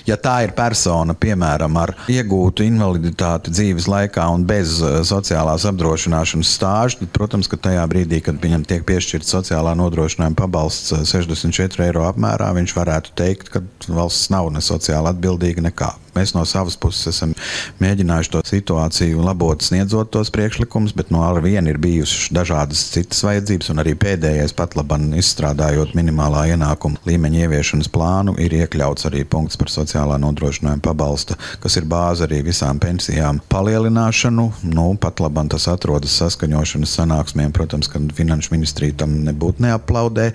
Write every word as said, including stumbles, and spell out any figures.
Ja tā ir persona, piemēram, ar iegūtu invaliditāti dzīves laikā un bez sociālās apdrošināšanas stāža, tad, protams, ka tajā brīdī, kad viņam tiek piešķirts sociālā nodrošinājuma pabalsts sešdesmit četri eiro apmērā, viņš varētu teikt, ka valsts nav ne sociāli atbildīga nekā. Mēs no savas puses esam mēģinājuši to situāciju labot, sniedzot tos priekšlikumus, bet no ar vienu ir bijušas dažādas citas vajadzības, un arī pēdējais pat laban izstrādājot minimālā ienākuma līmeņa ieviešanas plānu, ir iekļauts arī punkts par sociālā nodrošinājuma pabalsta, kas ir bāze arī visām pensijām palielināšanu. Nu, pat laban tas atrodas saskaņošanas sanāksmēm, protams, ka Finanšu ministrija tam nebūtu neaplaudē.